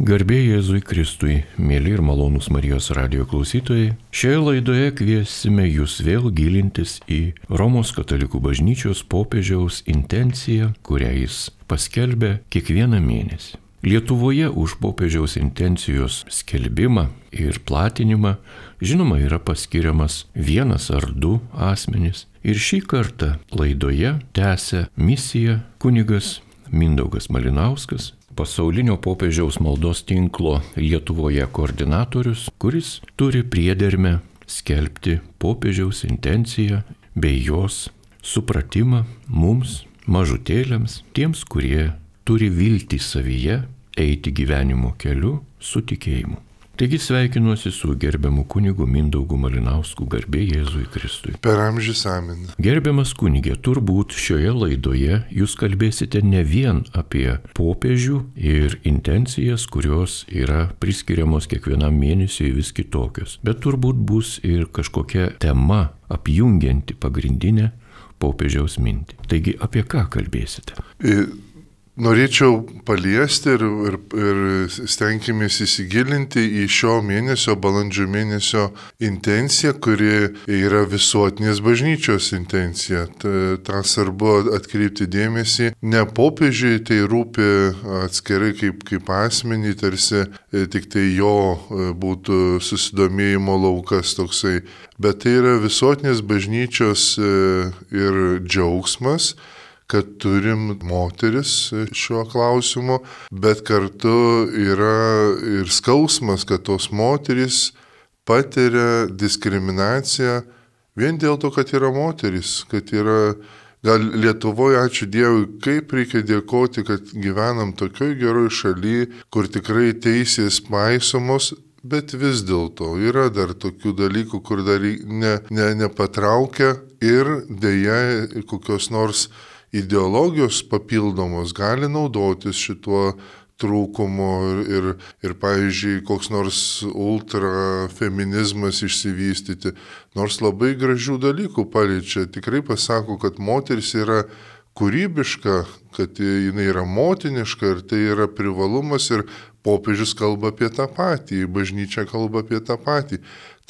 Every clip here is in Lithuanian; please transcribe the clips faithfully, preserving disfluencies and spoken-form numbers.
Garbė Jėzui Kristui, mėly ir malonūs Marijos radijo klausytojai, šioje laidoje kviesime jūs vėl gilintis į Romos katalikų bažnyčios popiežiaus intenciją, kurią jis paskelbė kiekvieną mėnesį. Lietuvoje už popiežiaus intencijos skelbimą ir platinimą, žinoma, yra paskiriamas vienas ar du asmenys. Ir šį kartą laidoje tęsia misiją kunigas Mindaugas Malinauskas, pasaulinio popiežiaus maldos tinklo Lietuvoje koordinatorius, kuris turi priedermę skelbti popiežiaus intenciją bei jos supratimą mums, mažutėliams, tiems, kurie turi viltį savyje eiti gyvenimo keliu su tikėjimu. Taigi sveikinuosi su gerbiamu kunigu Mindaugu Malinausku, garbė Jėzui Kristui. Per amžius amen. Gerbiamas kunigė, turbūt šioje laidoje jūs kalbėsite ne vien apie popiežių ir intencijas, kurios yra priskiriamos kiekvienam mėnesiui vis kitokios, bet turbūt bus ir kažkokia tema apjungianti pagrindinę popiežiaus mintį. Taigi apie ką kalbėsite? I... Norėčiau paliesti ir, ir, ir stenkimės įsigilinti į šio mėnesio, balandžio mėnesio intenciją, kuri yra visuotinės bažnyčios intencija. Ta svarbu atkreipti dėmesį. Ne popiežiui tai rūpi atskirai kaip, kaip asmenį, tarsi tik tai jo būtų susidomėjimo laukas toksai, bet tai yra visuotinės bažnyčios ir džiaugsmas, kad turim moteris šiuo klausimu, bet kartu yra ir skausmas, kad tos moteris patiria diskriminaciją vien dėl to, kad yra moteris, kad yra, gal Lietuvoje, ačiū Dievui, kaip reikia dėkoti, kad gyvenam tokioj geroj šaly, kur tikrai teisės paisomos, bet vis dėlto yra dar tokių dalykų, kur dar ne, ne, nepatraukia ir dėja kokios nors ideologijos papildomos gali naudotis šituo trūkumu ir, ir, ir pavyzdžiui, koks nors ultrafeminizmas išsivystyti, nors labai gražių dalykų paliečia, tikrai pasako, kad moteris yra kūrybiška, kad jinai yra motiniška ir tai yra privalumas ir popiežius kalba apie tą patį, bažnyčia kalba apie tą patį.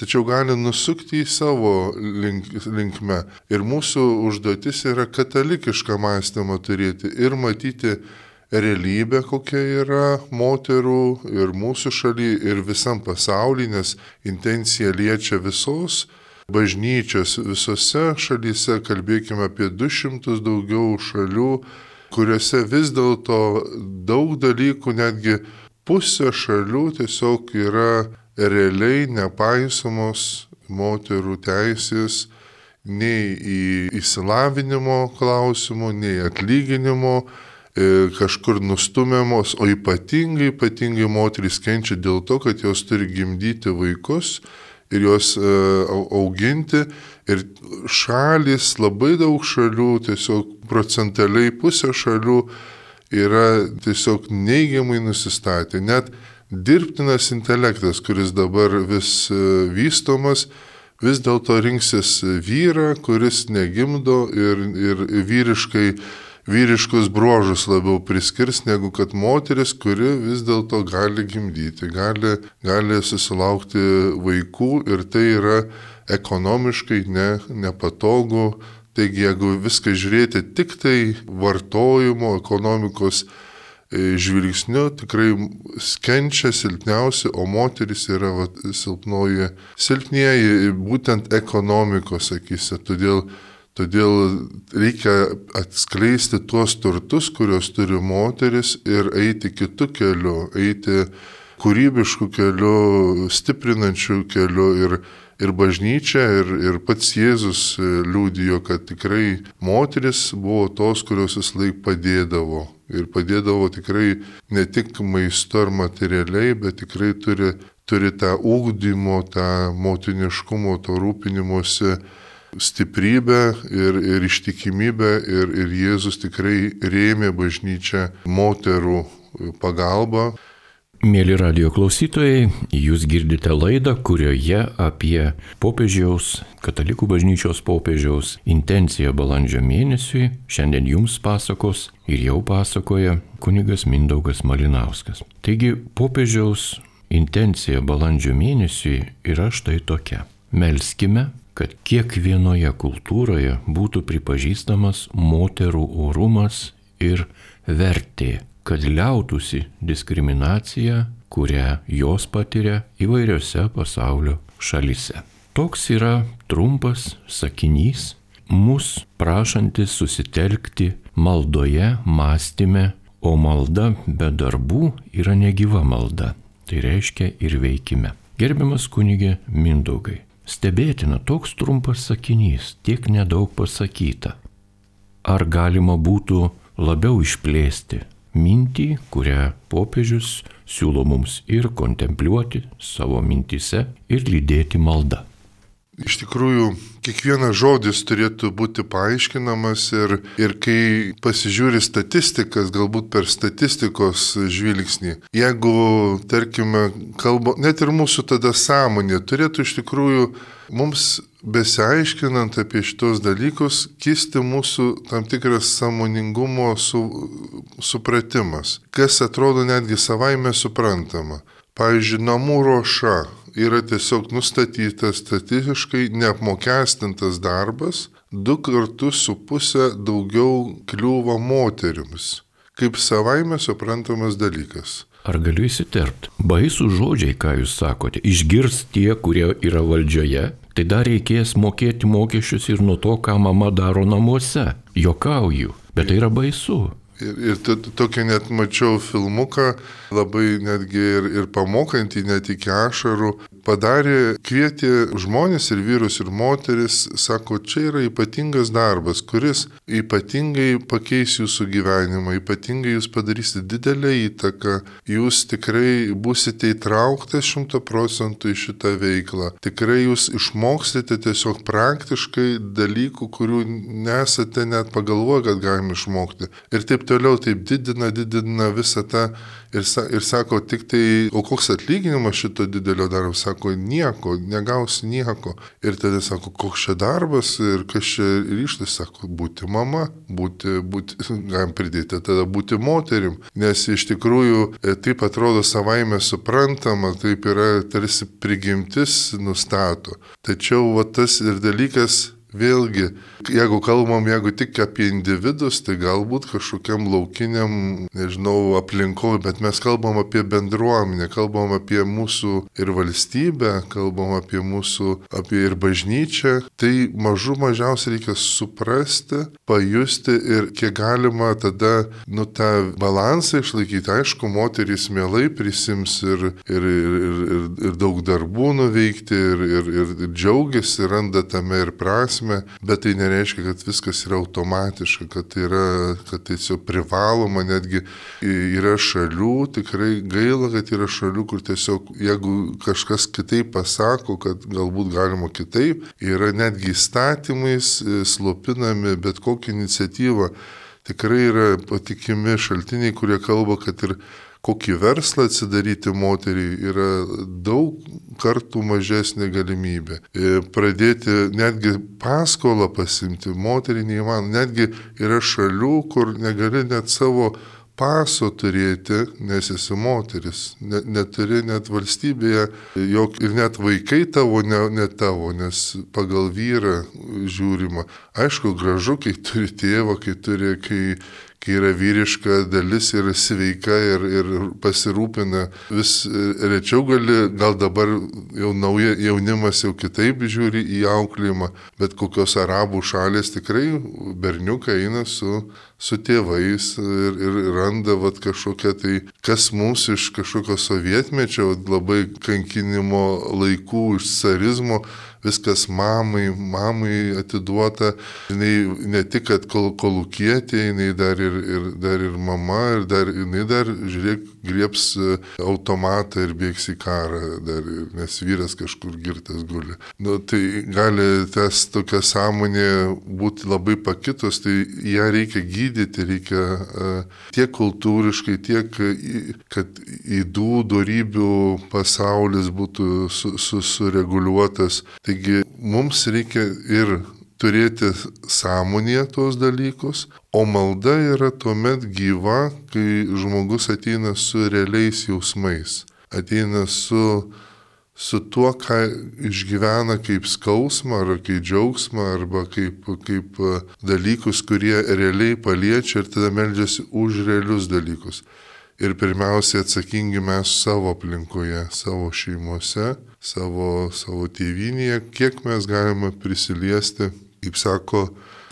Tačiau gali nusukti į savo link, linkme. Ir mūsų užduotis yra katalikišką mąstymą turėti ir matyti realybę, kokia yra moterų ir mūsų šaly, ir visam pasauly, nes intencija liečia visos bažnyčios, visose šalyse, kalbėkime apie du šimtus daugiau šalių, kuriuose vis dėlto daug dalykų, netgi pusė šalių tiesiog yra realiai nepaisomos moterų teisės nei į išsilavinimo klausimų, nei atlyginimo, e, kažkur nustumiamos, o ypatingai, ypatingai moterys kenčia dėl to, kad jos turi gimdyti vaikus ir juos e, auginti. Ir šalis, labai daug šalių, tiesiog procentaliai pusė šalių yra tiesiog neigiamai nusistatę. Net dirbtinas intelektas, kuris dabar vis vystomas, vis dėlto rinksis vyrą, kuris negimdo ir, ir vyriškai, vyriškus bruožus labiau priskirs, negu kad moteris, kuri vis dėlto gali gimdyti, gali, gali susilaukti vaikų ir tai yra ekonomiškai ne, nepatogu. Taigi, jeigu viską žiūrėti tik tai vartojimo, ekonomikos žvilgsniu, tikrai kenčia silpniausi, o moteris yra va, silpnoji, silpnieji būtent ekonomikos akyse. Todėl, todėl reikia atskleisti tuos turtus, kuriuos turi moteris ir eiti kitu keliu, eiti kūrybišku keliu, stiprinančiu keliu ir Ir bažnyčia, ir, ir pats Jėzus liudijo, kad tikrai moteris buvo tos, kurios vis laik padėdavo. Ir padėdavo tikrai ne tik maistu ar materialiai, bet tikrai turi, turi tą ugdymo, tą motiniškumo, to rūpinimuose stiprybę ir, ir ištikimybę. Ir, ir Jėzus tikrai rėmė bažnyčią moterų pagalbą. Mėly radio klausytojai, jūs girdite laidą, kurioje apie popiežiaus, katalikų bažnyčios popiežiaus intenciją balandžio mėnesiui šiandien jums pasakos ir jau pasakoja kunigas Mindaugas Malinauskas. Taigi, popiežiaus intencija balandžio mėnesiui yra štai tokia. Melskime, kad kiekvienoje kultūroje būtų pripažįstamas moterų orumas ir vertė, kad liautųsi diskriminacija, kurią jos patiria įvairiose pasaulio šalyse. Toks yra trumpas sakinys, mus prašantis susitelkti maldoje, mąstyme, o malda be darbų yra negyva malda. Tai reiškia ir veikime. Gerbiamas kunige Mindaugai, stebėtina toks trumpas sakinys, tiek nedaug pasakyta. Ar galima būtų labiau išplėsti mintį, kurią popiežius siūlo mums ir kontempliuoti savo mintyse ir lydėti maldą? Iš tikrųjų, kiekvienas žodis turėtų būti paaiškinamas ir, ir kai pasižiūri statistikas, galbūt per statistikos žvilgsnį, jeigu, tarkime, kalba, net ir mūsų tada sąmonė turėtų iš tikrųjų mums besiaiškinant apie šitos dalykus, kisti mūsų tam tikras sąmoningumo su, supratimas, kas atrodo netgi savaime suprantama. Pavyzdžiui, namų ruoša yra tiesiog nustatytas statistiškai neapmokestintas darbas, du kartus su pusę daugiau kliūva moterims, kaip savaime suprantamas dalykas. Ar galiu įsiterpti? Baisų žodžiai, ką jūs sakote, išgirs tie, kurie yra valdžioje, tai dar reikės mokėti mokesčius ir nuo to, ką mama daro namuose. Jokauju, bet tai yra baisu. Ir, ir to, tokį net mačiau filmuką, labai netgi ir, ir pamokantį, net iki ašarų, padarė, kvietė žmonės ir vyrus ir moteris, sako, čia yra ypatingas darbas, kuris ypatingai pakeis jūsų gyvenimą, ypatingai jūs padarysite didelę įtaką, jūs tikrai būsite įtrauktas šimta procentų į šitą veiklą, tikrai jūs išmoksite tiesiog praktiškai dalykų, kurių nesate net pagalvoję, kad galime išmokti. Ir taip toliau taip didina, didina visą tą ir, sa, ir sako, tik tai, o koks atlyginimas šito didelio darbo, sako, nieko, negausi nieko. Ir tada sako, koks čia darbas ir kas čia ryštas, sako, būti mama, būti, būti, galim pridėti, tada būti moterim. Nes iš tikrųjų taip atrodo savaime suprantama, taip yra tarsi prigimtis nustato. Tačiau va, tas ir dalykas, vėlgi, jeigu kalbam, jeigu tik apie individus, tai galbūt kažkokiam laukiniam, nežinau, aplinkoje, bet mes kalbam apie bendruomenę, kalbam apie mūsų ir valstybę, kalbam apie mūsų, apie ir bažnyčią, tai mažų mažiausiai reikia suprasti, pajusti ir kiek galima tada, nu, tą balansą išlaikyti. Aišku, moterys mielai prisims ir, ir, ir, ir, ir daug darbų nuveikti ir, ir, ir, ir džiaugiasi, randa tame ir prasme. Bet tai nereiškia, kad viskas yra automatiška, kad tai yra, kad tai tiesiog privaloma, netgi yra šalių, tikrai gaila, kad yra šalių, kur tiesiog, jeigu kažkas kitaip pasako, kad galbūt galima kitaip, yra netgi įstatymais slopinami bet kokią iniciatyvą. Tikrai yra patikimi šaltiniai, kurie kalba, kad ir kokį verslą atsidaryti moteriai yra daug kartų mažesnė galimybė. Pradėti netgi paskolą pasimti moteriai neįmanoma. Netgi yra šalių, kur negali net savo paso turėti, nes esi moteris. Net, neturi net valstybėje, jok, ir net vaikai tavo, ne, ne tavo, nes pagal vyrą žiūrima. Aišku, gražu, kai turi tėvą, kai turi, kai kai yra vyriška dalis ir sveika ir, ir pasirūpina. Vis rečiau gali, gal dabar jau nauja jaunimas jau kitaip žiūri į auklėjimą, bet kokios arabų šalės tikrai berniukai eina su, su tėvais ir, ir randa vat, kažkokią tai, kas mums iš kažkokio sovietmečio, labai kankinimo laikų, iš carizmo, viskas mamai, mamai atiduota, jinai ne tik, kad kol, kolūkietė, jinai dar ir ir, ir dar ir mama, ir dar jinai dar, žiūrėk, grieps automatą ir bėgs į karą, dar, nes vyras kažkur girtas guli. Nu, tai gali tas tokia sąmonė būti labai pakitus, tai ją reikia gydyti, reikia uh, tiek kultūriškai, tiek, kad ydų, dorybių pasaulis būtų su, su, sureguliuotas. Taigi mums reikia ir turėti sąmonėje tuos dalykus, o malda yra tuomet gyva, kai žmogus ateina su realiais jausmais, ateina su, su tuo, ką išgyvena kaip skausmą, ar kaip džiaugsmą, arba kaip, kaip dalykus, kurie realiai paliečia ir tada meldžiasi už realius dalykus. Ir pirmiausiai atsakingi mes savo aplinkoje, savo šeimose, savo, savo tėvynėje, kiek mes galime prisiliesti. Kaip sako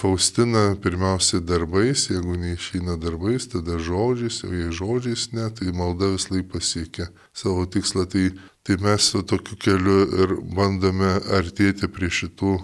Faustina, pirmiausiai darbais, jeigu neišeina darbais, tada žodžiais, o jei žodžiais ne, tai malda vis laik pasiekia savo tikslą. Tai, tai mes su tokiu keliu ir bandome artėti prie šitų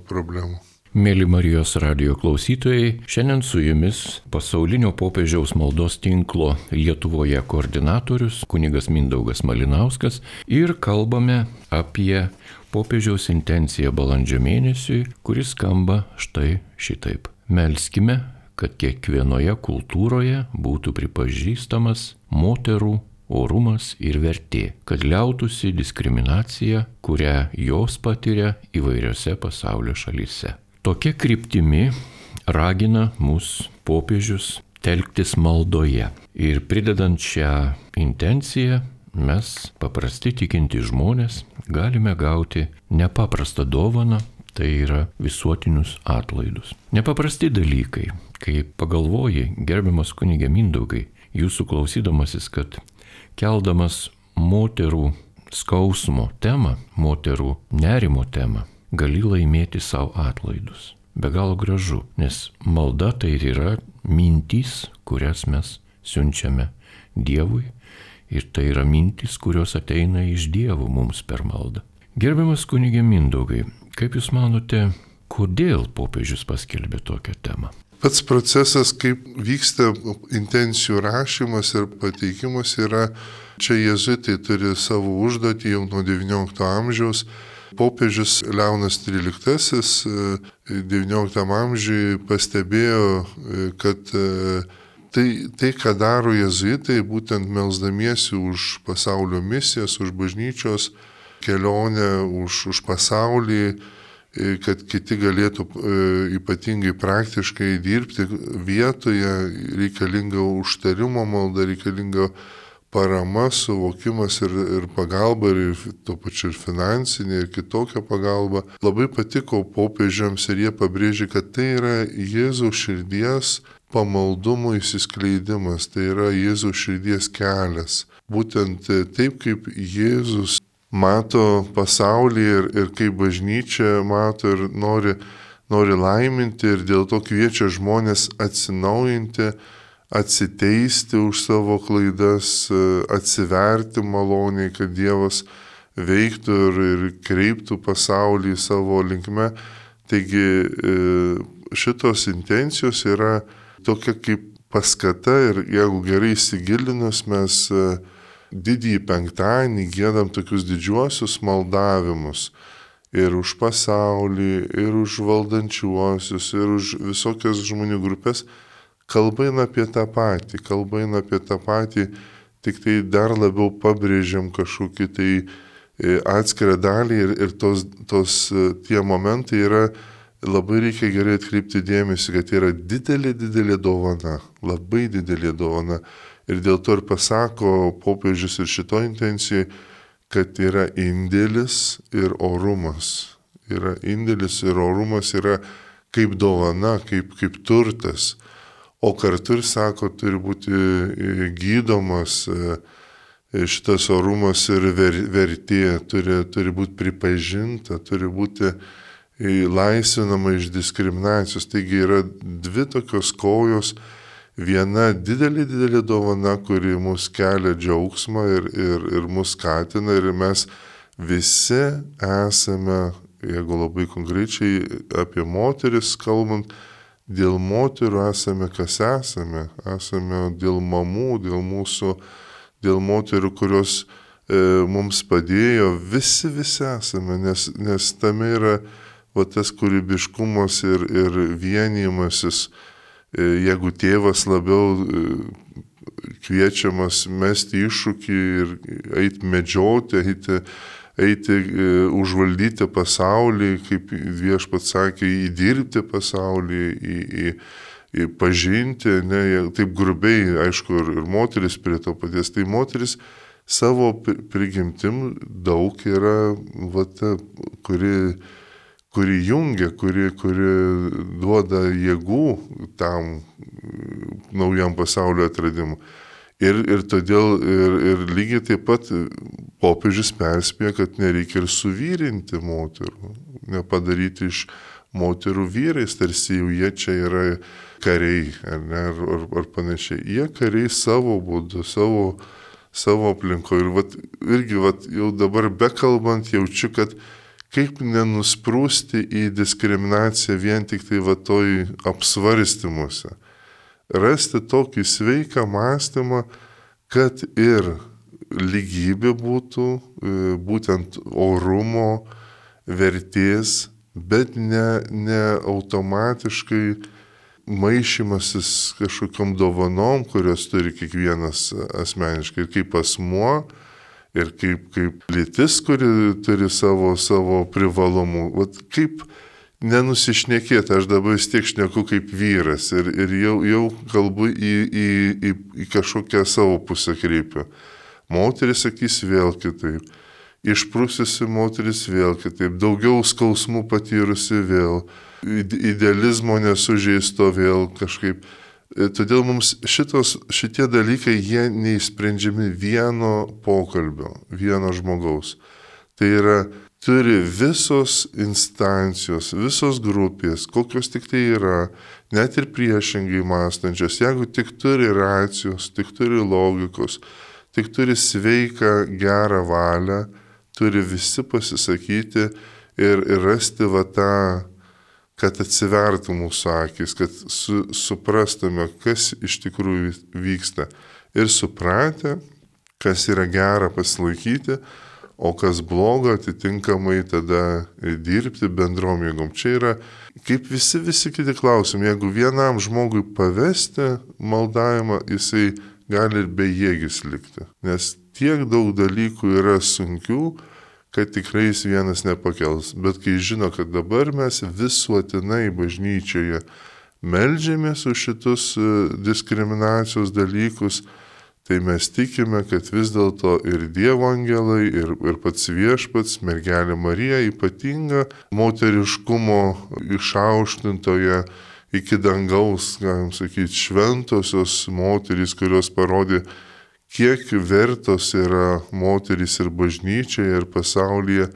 problemų. Mėly Marijos radijo klausytojai, šiandien su jumis pasaulinio popiežiaus maldos tinklo Lietuvoje koordinatorius kunigas Mindaugas Malinauskas ir kalbame apie popiežiaus intenciją balandžio mėnesiui, kuris skamba štai šitaip. Melskime, kad kiekvienoje kultūroje būtų pripažįstamas moterų orumas ir vertė, kad liautųsi diskriminacija, kurią jos patiria įvairiose pasaulio šalyse. Tokia kryptimi ragina mus popiežius telktis maldoje. Ir pridedant šią intenciją, mes, paprasti tikinti žmonės, galime gauti nepaprastą dovaną, tai yra visuotinius atlaidus. Nepaprasti dalykai, kai pagalvoji, gerbiamas kunige Mindaugai, jūsų klausydamasis, kad keldamas moterų skausmo temą, moterų nerimo temą, gali laimėti savo atlaidus. Be galo gražu, nes malda tai yra mintys, kurias mes siunčiame Dievui, ir tai yra mintys, kurios ateina iš Dievo mums per maldą. Gerbiamas kunige Mindaugai, kaip Jūs manote, kodėl popiežius paskelbė tokią temą? Pats procesas, kaip vyksta intencijų rašymas ir pateikimas, yra, čia jėzuitai turi savo užduotį jau nuo devyniolikto amžiaus. Popiežius Leonas tryliktasis devynioliktam amžiui pastebėjo, kad tai, tai ką daro jėzuitai, būtent melsdamiesi už pasaulio misijas, už bažnyčios kelionę, už, už pasaulį, kad kiti galėtų ypatingai praktiškai dirbti vietoje, reikalinga užtarimo malda, reikalinga parama, suvokimas ir, ir pagalba, ir tuo pačiu ir finansinė, ir kitokia pagalba. Labai patiko popiežiams ir jie pabrėžė, kad tai yra Jėzaus širdies pamaldumo įsiskleidimas, tai yra Jėzaus širdies kelias. Būtent taip, kaip Jėzus mato pasaulį ir, ir kaip bažnyčia mato ir nori, nori laiminti ir dėl to kviečia žmonės atsinaujinti, atsiteisti už savo klaidas, atsiverti maloniai, kad Dievas veiktų ir, ir kreiptų pasaulį savo linkme. Taigi šitos intencijos yra tokia kaip paskata ir jeigu gerai įsigilinus, mes didįjį penktadienį giedam tokius didžiuosius maldavimus ir už pasaulį, ir už valdančiuosius, ir už visokias žmonių grupės. Kalba eina apie tą patį, kalba eina apie tą patį, tik tai dar labiau pabrėžiam kažkokį tai atskirą dalį ir, ir tos, tos tie momentai yra, labai reikia gerai atkreipti dėmesį, kad yra didelė, didelė dovana, labai didelė dovana. Ir dėl to ir pasako popiežius ir šito intencijai, kad yra indėlis ir orumas. Yra indėlis ir orumas yra kaip dovana, kaip, kaip turtas. O kartu ir sako, turi būti gydomas šitas orumas ir vertė, turi, turi būti pripažinta, turi būti laisvinama iš diskriminacijos. Taigi yra dvi tokios kojos, viena didelė, didelė dovana, kuri mus kelia džiaugsmą ir, ir, ir mus skatina ir mes visi esame, jeigu labai konkrečiai apie moteris kalbant, dėl moterų esame, kas esame. Esame dėl mamų, dėl mūsų, dėl moterų, kurios e, mums padėjo. Visi, visi esame, nes, nes tame yra va, tas kūrybiškumas ir, ir vienijimasis. E, jeigu tėvas labiau e, kviečiamas mesti iššūkį ir eiti medžioti, eiti, eiti e, užvaldyti pasaulį, kaip Viešpats sakė, įdirbti pasaulį, į, į, į pažinti, ne, taip grubiai, aišku, ir, ir moteris prie to paties. Tai moteris savo prigimtim daug yra, va, ta, kuri, kuri jungia, kuri, kuri duoda jėgų tam naujam pasaulio atradimui. Ir, ir todėl ir, ir lygiai taip pat popiežius perspėja, kad nereikia ir suvyrinti moterų, nepadaryti iš moterų vyrais, tarsi jau jie čia yra kariai, ar, ne, ar, ar, ar panašiai. Jie kariai savo būdu, savo, savo aplinkoje. Ir vat, irgi vat, jau dabar bekalbant jaučiu, kad kaip nenusprūsti į diskriminaciją vien tik tai va toj apsvarstymuose. Rasti tokį sveiką mąstymą, kad ir lygybė būtų, būtent orumo, vertės, bet ne, ne automatiškai maišymasis kažkokiam dovanom, kurios turi kiekvienas asmeniškai, ir kaip asmuo, ir kaip, kaip lytis, kuri turi savo, savo privalumų. Vat kaip nenusišnekėti, aš dabar vis tiek šneku kaip vyras ir, ir jau, jau kalbu į, į, į, į kažkokią savo pusę kreipiu. Moteris sakys vėl kitaip, išprususi moteris vėl kitaip, daugiau skausmų patyrusi vėl, idealizmo nesužeisto vėl kažkaip. Todėl mums šitos, šitie dalykai, jie neįsprendžiami vieno pokalbio, vieno žmogaus. Tai yra, turi visos instancijos, visos grupės, kokios tik tai yra, net ir priešingai mąstančios, jeigu tik turi racijos, tik turi logikos, tik turi sveiką, gerą valią, turi visi pasisakyti ir, ir rasti va tą, kad atsivertų mūsų akis, kad su, suprastume, kas iš tikrųjų vyksta. Ir supratę, kas yra gera pasilaikyti, o kas bloga, atitinkamai tada dirbti bendrom jėgom. Čia yra kaip visi, visi kiti klausimai. Jeigu vienam žmogui pavesti maldavimą, jisai gali ir bejėgis likti. Nes tiek daug dalykų yra sunkių, kad tikrai jis vienas nepakels. Bet kai žino, kad dabar mes visuotinai bažnyčioje meldžiamės už šitus diskriminacijos dalykus, tai mes tikime, kad vis dėlto ir Dievo angelai, ir, ir pats Viešpats, mergelė Marija ypatinga moteriškumo išaukštintoje iki dangaus, galim sakyti, šventosios moterys, kurios parodė, kiek vertos yra moterys ir bažnyčioje, ir pasaulyje.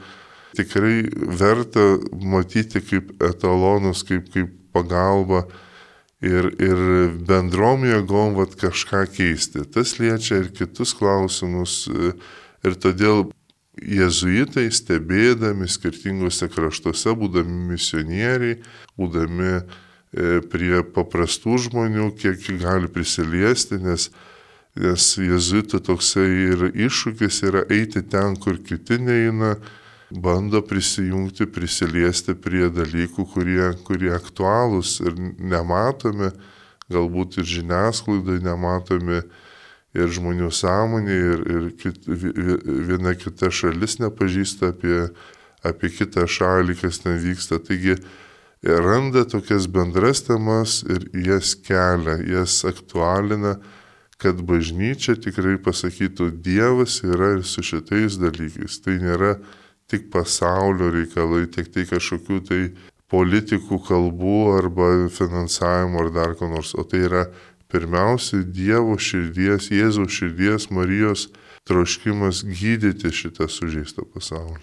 Tikrai verta matyti kaip etalonus, kaip, kaip pagalba. Ir, ir bendrom jėgom vat, kažką keisti. Tas liečia ir kitus klausimus. Ir todėl jėzuitai, stebėdami skirtingose kraštuose, būdami misionieriai, būdami e, prie paprastų žmonių, kiek gali prisiliesti, nes, nes jėzuitų toksai ir iššūkis yra eiti ten, kur kiti neina, bando prisijungti, prisiliesti prie dalykų, kurie, kurie aktualūs ir nematomi, galbūt ir žiniasklaidai nematomi, ir žmonių sąmonė, ir, ir kit, viena kita šalis nepažįsta apie, apie kitą šalį, kas ten vyksta. Taigi randa tokias bendras temas ir jas kelia, jas aktualina, kad bažnyčia tikrai pasakytų, Dievas yra ir su šitais dalykais. Tai nėra tik pasaulio reikalai, tik tai kažkokių tai politikų kalbų arba finansavimo ar dar ko nors. O tai yra pirmiausiai Dievo širdies, Jėzaus širdies, Marijos troškimas gydyti šitą sužeistą pasaulį.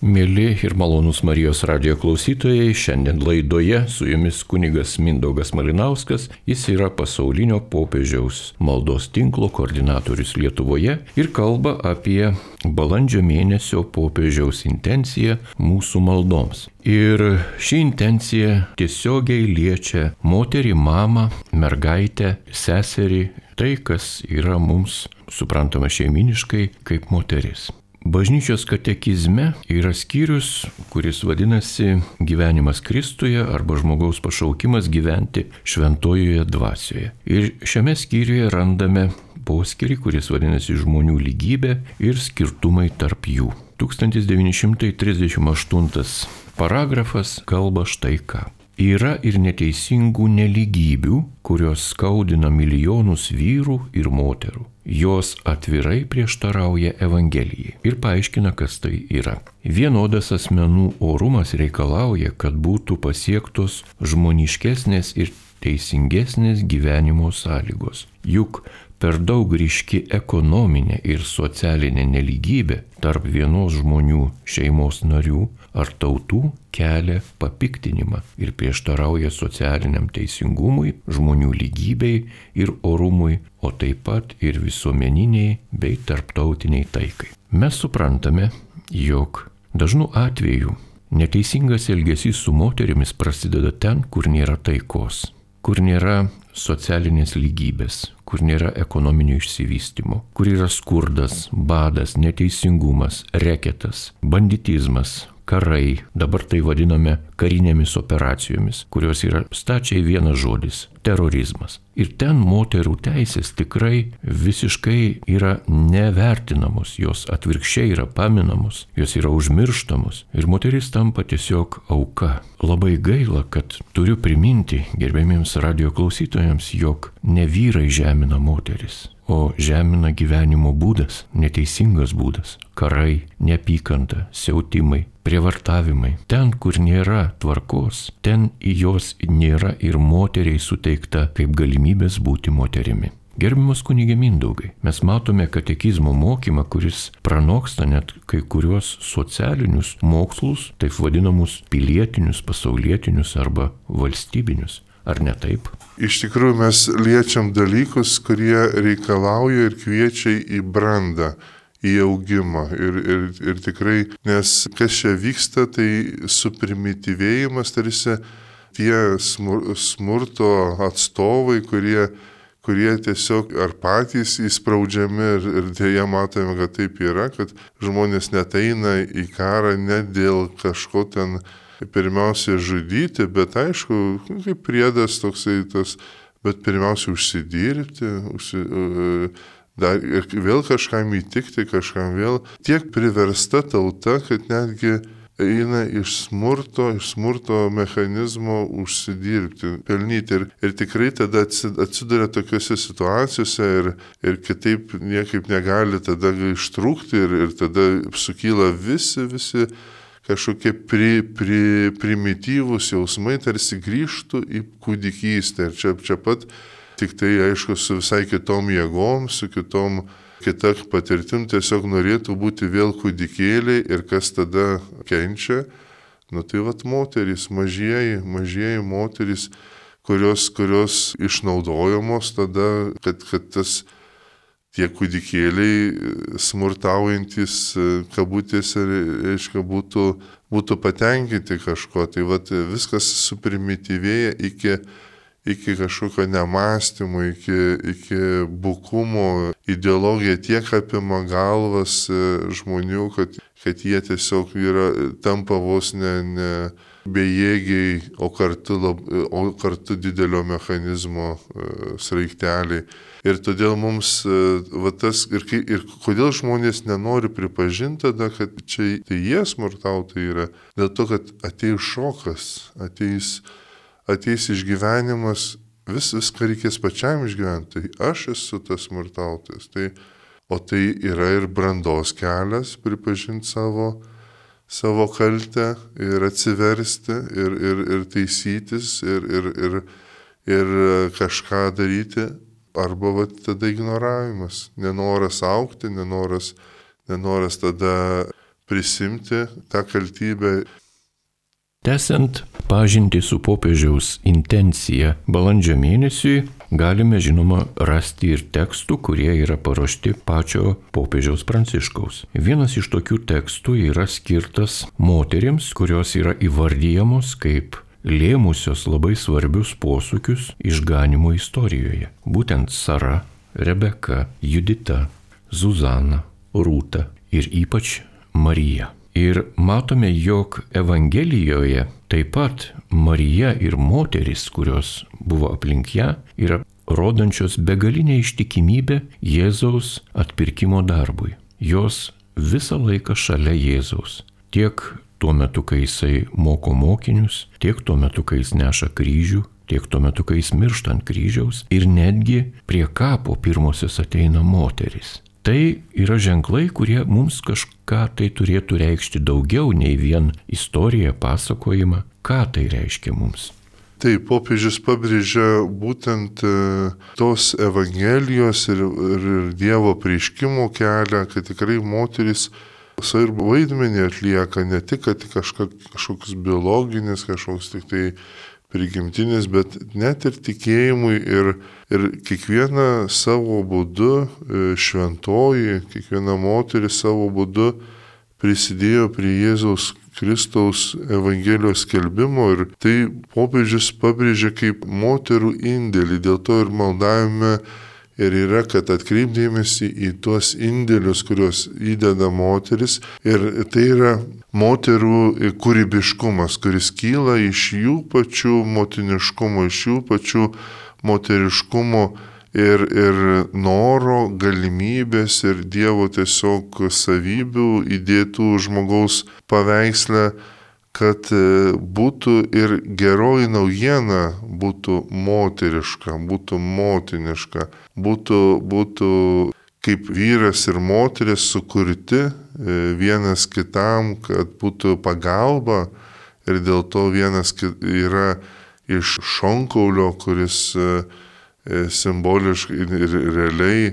Mėly ir malonūs Marijos radijo klausytojai, šiandien laidoje su jumis kunigas Mindaugas Malinauskas, jis yra pasaulinio popiežiaus maldos tinklo koordinatorius Lietuvoje ir kalba apie balandžio mėnesio popiežiaus intenciją mūsų maldoms. Ir ši intencija tiesiogiai liečia moterį, mamą, mergaitę, seserį, tai kas yra mums suprantama šeiminiškai kaip moteris. Bažnyčios katekizme yra skyrius, kuris vadinasi Gyvenimas Kristuje arba žmogaus pašaukimas gyventi šventojoje dvasioje. Ir šiame skyriuje randame poskyrį, kuris vadinasi Žmonių lygybė ir skirtumai tarp jų. tūkstantis devyni šimtai trisdešimt aštuntas paragrafas kalba štai ką. Yra ir neteisingų nelygybių, kurios skaudina milijonus vyrų ir moterų. Jos atvirai prieštarauja Evangelijai ir paaiškina, kas tai yra. Vienodas asmenų orumas reikalauja, kad būtų pasiektos žmoniškesnės ir teisingesnės gyvenimo sąlygos. Juk per daug ryški ekonominė ir socialinė nelygybė tarp vienos žmonių šeimos narių ar tautų kelia papiktinimą ir prieštarauja socialiniam teisingumui, žmonių lygybei ir orumui, o taip pat ir visuomeniniai bei tarptautiniai taikai. Mes suprantame, jog dažnu atveju neteisingas elgesys su moterimis prasideda ten, kur nėra taikos, kur nėra socialinės lygybės, kur nėra ekonominio išsivystymo, kur yra skurdas, badas, neteisingumas, reketas, banditizmas, karai, dabar tai vadiname karinėmis operacijomis, kurios yra stačiai vienas žodis – terorizmas. Ir ten moterų teisės tikrai visiškai yra nevertinamos, jos atvirkščiai yra paminamos, jos yra užmirštamos ir moteris tampa tiesiog auka. Labai gaila, kad turiu priminti gerbėmiems radijo klausytojams, jog ne vyrai žemina moteris, o žemina gyvenimo būdas, neteisingas būdas, karai, neapykanta, siautimai, prievartavimai. Ten, kur nėra tvarkos, ten į jos nėra ir moteriai suteikta kaip galimybės būti moterimi. Gerbiamas kunige Mindaugai, mes matome katekizmo mokymą, kuris pranoksta net kai kuriuos socialinius mokslus, taip vadinamus pilietinius, pasaulietinius arba valstybinius. Ar ne taip? Iš tikrųjų mes liečiam dalykus, kurie reikalauja ir kviečia į brandą, į augimą. Ir, ir, ir tikrai, nes kas čia vyksta, tai suprimityvėjimas, tarsi tie smur, smurto atstovai, kurie, kurie tiesiog ar patys įspraudžiami ir, ir dėja matome, kad taip yra, kad žmonės net eina į karą ne dėl kažko ten pirmiausia žudyti, bet aišku, kaip priedas toksai tas, bet pirmiausia užsidirbti, užsi, dar, ir vėl kažkam įtikti, kažkam vėl. Tiek priversta tauta, kad netgi eina iš smurto, iš smurto mechanizmo užsidirbti, pelnyti. Ir, ir tikrai tada atsiduria tokiuose situacijose ir, ir kitaip niekaip negali tada ištrūkti ir, ir tada sukyla visi, visi kažkokie pri, pri, primityvūs jausmai, tarsi grįžtų į kūdikystę. Ir čia, čia pat tik tai, aišku, su visai kitom jėgom, su kitom, kita patirtim tiesiog norėtų būti vėl kūdikėliai ir kas tada kenčia. Nu tai vat moterys, mažieji, mažieji moterys, kurios, kurios išnaudojamos tada, kad, kad tas tie kūdikėliai smurtaujantis kabutėse, reiškia, būtų, būtų patenkinti kažko. Tai vat viskas suprimityvėja iki, iki kažkokio nemąstymo, iki, iki bukumo. Ideologija tiek apima galvas žmonių, kad, kad jie tiesiog yra, tampa vos ne, ne bejėgiai, o kartu, lab, o kartu didelio mechanizmo sraigteliai. Ir todėl mums, va tas, ir, ir kodėl žmonės nenori pripažinti tada, kad čia tai jie smurtautojai yra, dėl to, kad ateis šokas, ateis, ateis išgyvenimas, vis, viską reikės pačiam išgyventi, tai aš esu tas smurtautojas. Tai, o tai yra ir brandos kelias, pripažinti savo, savo kaltę ir atsiversti ir, ir, ir taisytis ir, ir, ir, ir kažką daryti. Arba va, tada ignoravimas, nenoras augti, nenoras, nenoras tada prisimti tą kaltybę. Tęsiant pažintį su popiežiaus intencija balandžio mėnesiui, galime žinoma rasti ir tekstų, kurie yra paruošti pačio popiežiaus Pranciškaus. Vienas iš tokių tekstų yra skirtas moterims, kurios yra įvardyjamos kaip lėmusios labai svarbius posūkius išganimo istorijoje. Būtent Sara, Rebeka, Judita, Zuzana, Rūta ir ypač Marija. Ir matome, jog Evangelijoje taip pat Marija ir moteris, kurios buvo aplink ją, yra rodančios begalinę ištikimybę Jėzaus atpirkimo darbui. Jos visą laiką šalia Jėzaus. Tiek tuo metu, kai jisai moko mokinius, tiek tuo metu, kai jis neša kryžių, tiek tuo metu, kai jis miršta ant kryžiaus ir netgi prie kapo pirmosios ateina moteris. Tai yra ženklai, kurie mums kažką tai turėtų reikšti daugiau nei vien istoriją, pasakojimą. Ką tai reiškia mums? Tai popiežius pabrėžia būtent tos Evangelijos ir, ir Dievo apreiškimo kelią, kad tikrai moteris svarbu vaidmenį atlieka, ne tik, kad kažka, kažkoks biologinis, kažkoks tik tai prigimtinis, bet net ir tikėjimui ir, ir kiekviena savo būdu šventoji, kiekviena moteris savo būdu prisidėjo prie Jėzaus Kristaus Evangelijos skelbimo ir tai popiežius pabrėžia kaip moterų indėlį, dėl to ir maldavime ir yra, kad atkreipdėmėsi į tuos indėlius, kuriuos įdeda moteris. Ir tai yra moterų kūrybiškumas, kuris kyla iš jų pačių motiniškumo, iš jų pačių moteriškumo ir, ir noro, galimybės ir Dievo tiesiog savybių įdėtų žmogaus paveiksle, kad būtų ir geroji naujiena būtų moteriška, būtų motiniška, būtų, būtų kaip vyras ir moteris sukurti vienas kitam, kad būtų pagalba ir dėl to vienas yra iš šonkaulio, kuris simboliškai ir realiai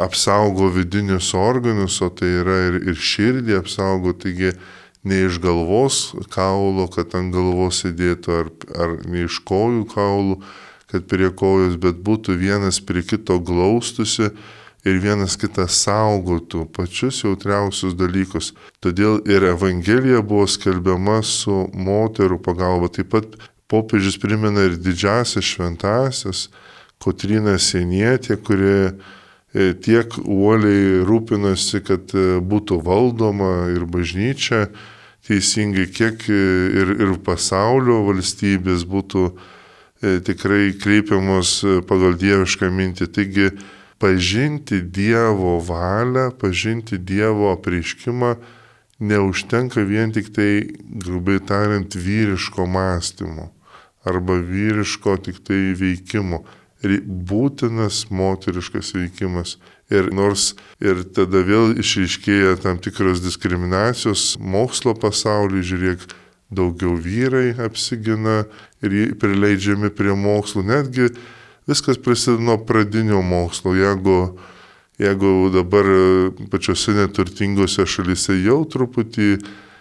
apsaugo vidinius organus, o tai yra ir, ir širdį apsaugo, taigi ne iš galvos kaulo, kad ant galvos sėdėtų, ar, ar ne iš kojų kaulų, kad prie kojos, bet būtų vienas prie kito glaustusi ir vienas kitą saugotų pačius jautriausius dalykus. Todėl ir Evangelija buvo skelbiama su moterų pagalba. Taip pat popiežius primena ir didžiasias šventasias, Kotryną Sienietę, kurie tiek uoliai rūpinasi, kad būtų valdoma ir bažnyčia teisingai, kiek ir, ir pasaulio valstybės būtų tikrai kreipiamos pagal dievišką mintį. Taigi pažinti Dievo valią, pažinti Dievo apreiškimą neužtenka vien tik tai, grubiai tariant, vyriško mąstymo arba vyriško tik tai veikimo. Būtinas moteriškas veikimas. Ir nors ir tada vėl išryškėja tam tikros diskriminacijos mokslo pasaulyje, žiūrėk, daugiau vyrai apsigina ir prileidžiami prie mokslo. Netgi viskas prasideda nuo pradinio mokslo. Jeigu, jeigu dabar pačiose neturtingose šalyse jau truputį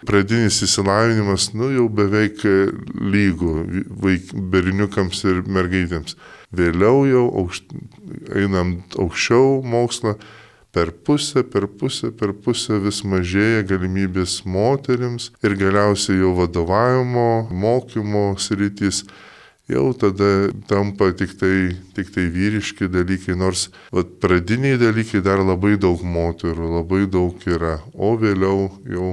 pradinis įsilavinimas, nu jau beveik lygų vaik, berniukams ir mergaitėms. Vėliau jau aukšt, einam aukščiau mokslą, per pusę, per pusę, per pusę vis mažėja galimybės moterims ir galiausiai jau vadovavimo, mokymo sritys jau tada tampa tik tai, tik tai vyriški dalykai, nors vat, pradiniai dalykai dar labai daug moterų, labai daug yra, o vėliau jau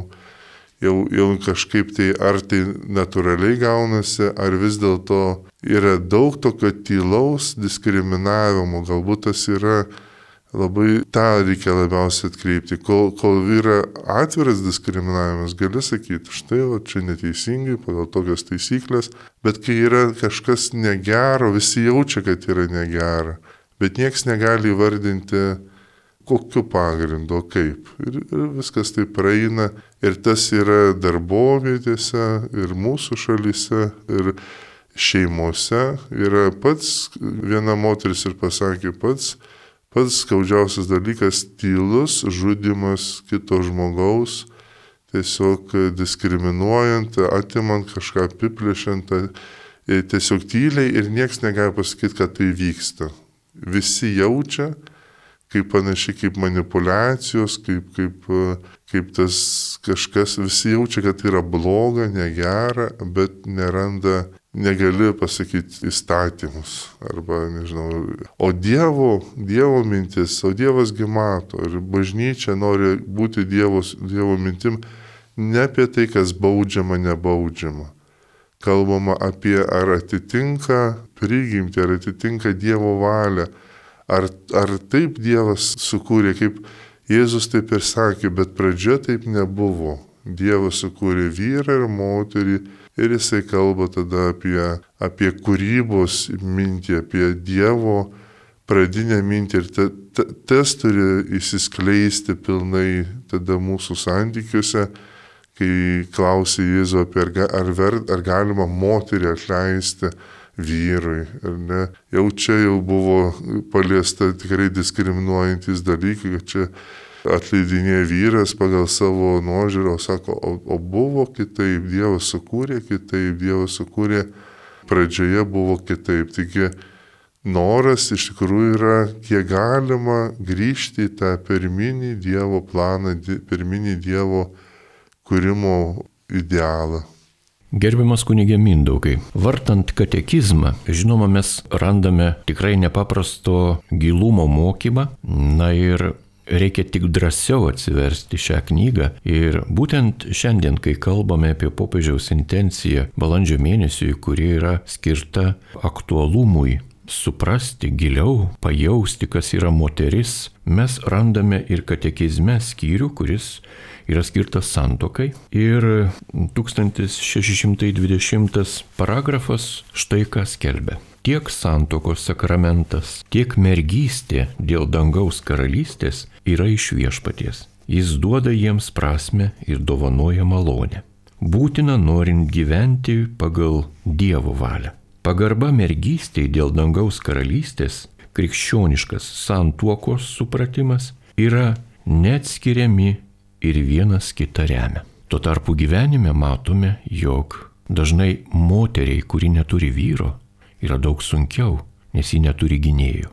Jau, jau kažkaip tai ar tai natūraliai gaunasi, ar vis dėlto yra daug tokio tylaus diskriminavimo, galbūt tas yra labai, tą reikia labiausiai atkreipti. Kol, kol yra atviras diskriminavimas, gali sakyti, štai, o čia neteisingai, pagal tokias taisyklės, bet kai yra kažkas negero, visi jaučia, kad yra negera, bet nieks negali įvardinti, kokiu pagrindu, kaip. Ir, ir viskas tai praeina. Ir tas yra darbovietėse, ir mūsų šalyse, ir šeimose. Yra pats, viena moteris ir pasakė, pats, pats skaudžiausias dalykas - tylus žudimas kito žmogaus, tiesiog diskriminuojant, atimant kažką, apiplėšiant, tiesiog tyliai ir nieks negali pasakyti, kad tai vyksta. Visi jaučia, kaip panašiai kaip manipulacijos, kaip, kaip, kaip tas kažkas, visi jaučia, kad tai yra bloga, negera, bet neranda, negali pasakyti įstatymus. Arba, nežinau, o Dievo, Dievo mintis, o Dievas gi mato ir bažnyčia nori būti Dievos, Dievo mintim, ne apie tai, kas baudžiama, nebaudžiama. Kalbama apie ar atitinka prigimtį, ar atitinka Dievo valią. Ar, ar taip Dievas sukūrė, kaip Jėzus taip ir sakė, bet pradžioje taip nebuvo. Dievas sukūrė vyrą ir moterį ir jisai kalba tada apie, apie kūrybos mintį, apie Dievo pradinę mintį ir ta, ta, tas turi įsiskleisti pilnai tada mūsų santykiuose, kai klausė Jėzų apie ar, ar, ver, ar galima moterį atleisti vyrui, ar ne. Jau čia jau buvo paliesta tikrai diskriminuojantis dalykai, kad čia atleidinėja vyras pagal savo nuožiūrą, sako, o, o buvo kitaip, Dievas sukūrė kitaip, Dievas sukūrė pradžioje buvo kitaip. Taigi noras iš tikrųjų yra, kiek galima grįžti į tą pirminį Dievo planą, pirminį Dievo kūrimo idealą. Gerbiamas kunige Mindaugai, vartant katekizmą, žinoma, mes randame tikrai nepaprasto gilumo mokymą, na ir reikia tik drąsiau atsiversti šią knygą. Ir būtent šiandien, kai kalbame apie popiežiaus intenciją balandžio mėnesiui, kuri yra skirta aktualumui, suprasti giliau, pajausti, kas yra moteris, mes randame ir katekizme skyrių, kuris yra skirtas santuokai. Ir tūkstantis šeši šimtai dvidešimtas paragrafas štai ką skelbia. Tiek santuokos sakramentas, tiek mergystė dėl dangaus karalystės yra iš viešpaties. Jis duoda jiems prasmę ir dovanoja malonę. Būtina norint gyventi pagal Dievo valią. Pagarba mergystei dėl dangaus karalystės, krikščioniškas santuokos supratimas yra neatskiriami ir vienas kitą remia. Tuo tarpu gyvenime matome, jog dažnai moteriai, kuri neturi vyro, yra daug sunkiau, nes ji neturi gynėjų,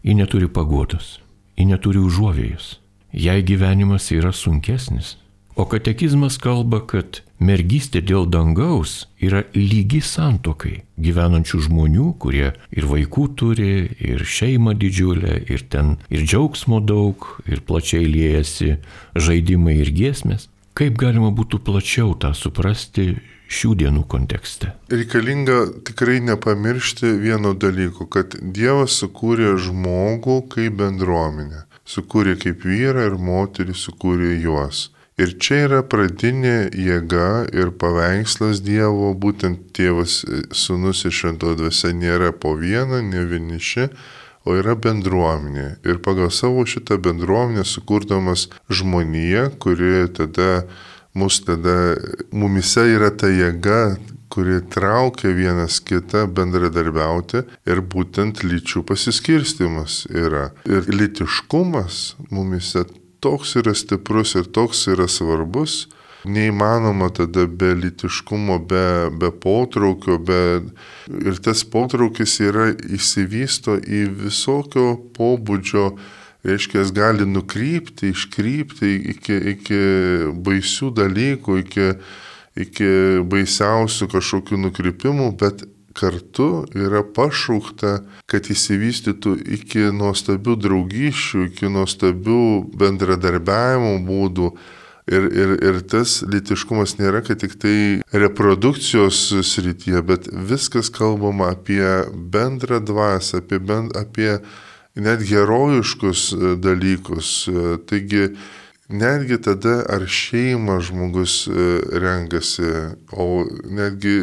ji neturi paguodos, ji neturi užuovėjos, jai gyvenimas yra sunkesnis. O katekizmas kalba, kad mergystė dėl dangaus yra lygi santuokai gyvenančių žmonių, kurie ir vaikų turi, ir šeimą didžiulę, ir ten ir džiaugsmo daug, ir plačiai liejasi žaidimai ir giesmės. Kaip galima būtų plačiau tą suprasti šių dienų kontekste? Reikalinga tikrai nepamiršti vieno dalyko, kad Dievas sukūrė žmogų kaip bendruomenę. Sukūrė kaip vyrą ir moterį, sukūrė juos. Ir čia yra pradinė jėga ir paveikslas Dievo, būtent Tėvas, Sūnus ir Šventoji Dvasia nėra po vieną, ne vieniši, o yra bendruomenė. Ir pagal savo šitą bendruomenę sukurdamas žmoniją, kuri tada, mus tada, mumise yra ta jėga, kuri traukia vienas kitą bendradarbiauti ir būtent lyčių pasiskirstimas yra. Ir lytiškumas mumise toks yra stiprus ir toks yra svarbus, neįmanoma tada be lytiškumo, be, be potraukio, be... ir tas potraukis yra įsivysto į visokio pobūdžio, reiškia, jis gali nukrypti, iškrypti iki, iki baisių dalykų, iki, iki baisiausių kažkokių nukrypimų, bet kartu yra pašaukta, kad įsivystytų iki nuostabių draugysčių, iki nuostabių bendradarbiavimo būdų. Ir, ir, ir tas lytiškumas nėra, kad tik tai reprodukcijos srityje, bet viskas kalbama apie bendrą dvasią, apie, bend, apie net herojiškus dalykus. Taigi, netgi tada, ar šeimą žmogus renkasi, o netgi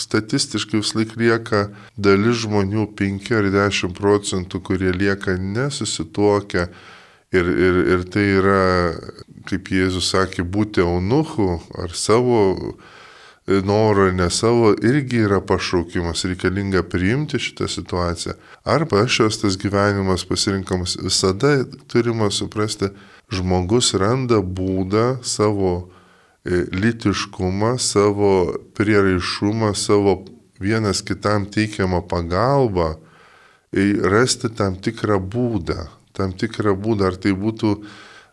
statistiškai vis laik lieka dalis žmonių, penki ar dešimt procentų, kurie lieka nesusituokę. Ir, ir, ir tai yra, kaip Jėzus sakė, būti eunuchu ar savo norą, ne savo, irgi yra pašaukimas, reikalinga priimti šitą situaciją. Arba šios tas gyvenimas pasirinkamas, visada turima suprasti, žmogus randa būdą savo lytiškumą, savo prieraišumą, savo vienas kitam teikiamą pagalbą, rasti tam tikrą būdą, tam tikrą būdą, ar tai būtų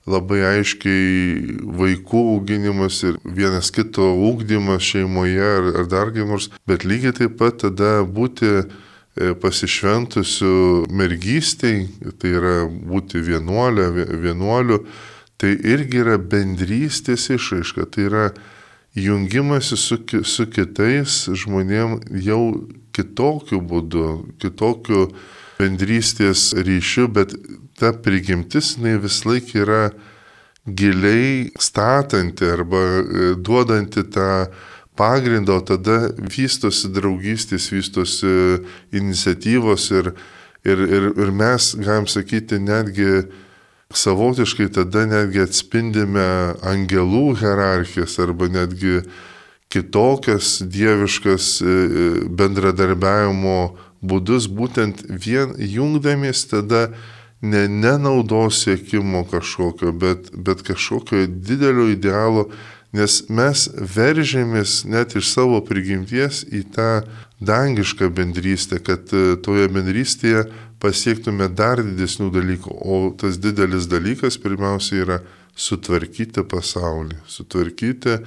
labai aiškiai vaikų auginimas ir vienas kito ugdymas šeimoje ar, ar dar kaip nors, bet lygiai taip pat tada būti pasišventusiu mergystei, tai yra būti vienuolė, vienuoliu, tai irgi yra bendrystės išraiška, tai yra jungimasi su, su kitais žmonėm jau kitokiu būdu, kitokiu bendrystės ryšiu, bet ta prigimtis, jinai vis laik yra giliai statanti arba duodanti tą pagrindą, o tada vystosi draugystės, vystosi iniciatyvos ir, ir, ir, ir mes, galim sakyti, netgi savotiškai tada netgi atspindime angelų hierarchijas arba netgi kitokias dieviškas bendradarbiavimo būdus, būtent vien jungdamies tada ne nenaudos siekimo kažkokio, bet, bet kažkokio didelio idealo, nes mes veržėmės net iš savo prigimties į tą dangišką bendrystę, kad toje bendrystėje pasiektume dar didesnių dalykų, o tas didelis dalykas pirmiausia yra sutvarkyti pasaulį, sutvarkyti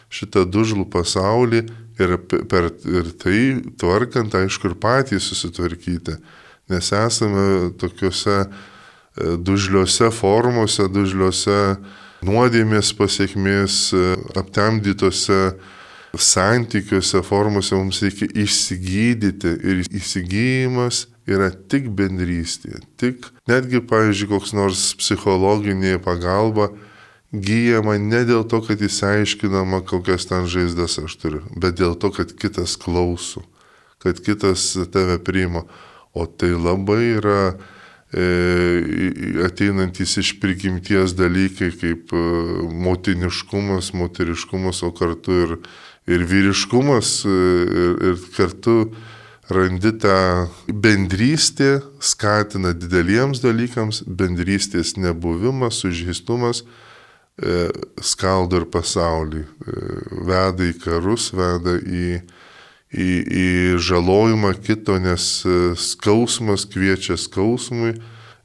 šitą dužlų pasaulį ir, per, ir tai tvarkant, aišku, ir patys susitvarkyti, nes esame tokiuose dužliuose formose, dužliuose nuodėmės pasiekmės, aptemdytose santykiuose, formose mums reikia išsigydyti ir įsigyjimas yra tik bendrystė, tik netgi, pavyzdžiui, koks nors psichologinė pagalba gyjama ne dėl to, kad įsiaiškinama, kokias ten žaizdas aš turiu, bet dėl to, kad kitas klauso, kad kitas tave priima, o tai labai yra ateinantys iš prigimties dalykai kaip motiniškumas, moteriškumas, o kartu ir, ir vyriškumas ir, ir kartu randi tą bendrystę, skatina dideliems dalykams, bendrystės nebuvimas, sužeistumas skaldo ir pasaulį, veda į karus, veda į Į, į žalojimą kito, nes skausmas kviečia skausmui,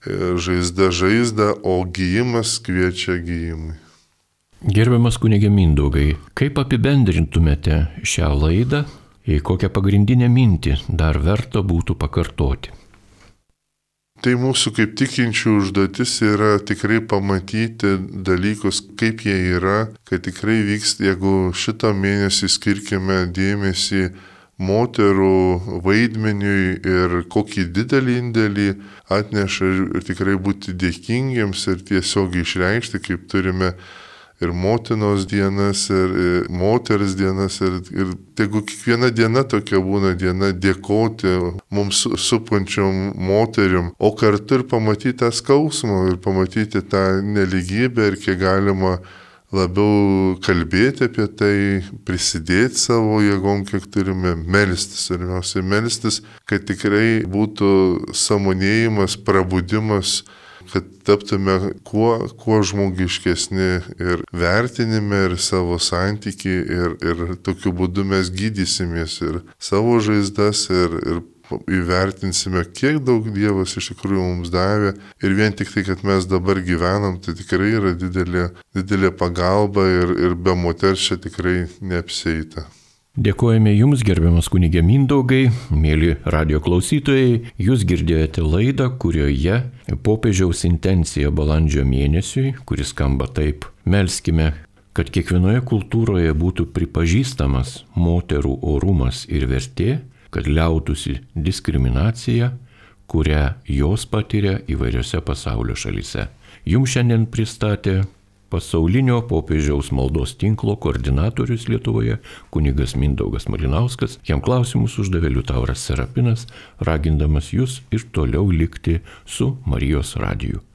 žaizda žaizda, o gyjimas kviečia gyjimui. Gerbiamas kunige Mindaugai, kaip apibendrintumėte šią laidą, į kokią pagrindinę mintį dar verta būtų pakartoti? Tai mūsų kaip tikinčių užduotis yra tikrai pamatyti dalykus, kaip jie yra, kad tikrai vyks, jeigu šitą mėnesį skirkime dėmesį moterų vaidmeniui ir kokį didelį indėlį atneša ir tikrai būti dėkingiems ir tiesiog išreikšti, kaip turime ir motinos dienas, ir moters dienas, ir, ir tegu kiekviena diena tokia būna diena dėkoti mums supančiom moteriom, o kartu ir pamatyti tą skausmą ir pamatyti tą neligybę ir kiek galima labiau kalbėti apie tai, prisidėti savo jėgom, kiek turime melstis, svarbiausia melstis, kad tikrai būtų sąmonėjimas, prabudimas, kad taptume kuo, kuo žmogiškesni ir vertinime, ir savo santykį, ir, ir tokiu būdu mes gydysimės ir savo žaizdas, ir, ir įvertinsime, kiek daug Dievas iš tikrųjų mums davė ir vien tik tai, kad mes dabar gyvenam, tai tikrai yra didelė, didelė pagalba ir, ir be moters čia tikrai neapsieita. Dėkojame Jums, gerbiamas kunige Mindaugai, mėly radio klausytojai, Jūs girdėjote laidą, kurioje popiežiaus intencija balandžio mėnesiui, kuris skamba taip: melskime, kad kiekvienoje kultūroje būtų pripažįstamas moterų orumas ir vertė, kad liautųsi diskriminacija, kurią jos patiria įvairiose pasaulio šalyse. Jums šiandien pristatė pasaulinio popiežiaus maldos tinklo koordinatorius Lietuvoje kunigas Mindaugas Malinauskas. Jam klausimus uždavė Liutauras Serapinas, ragindamas jūs ir toliau likti su Marijos radiju.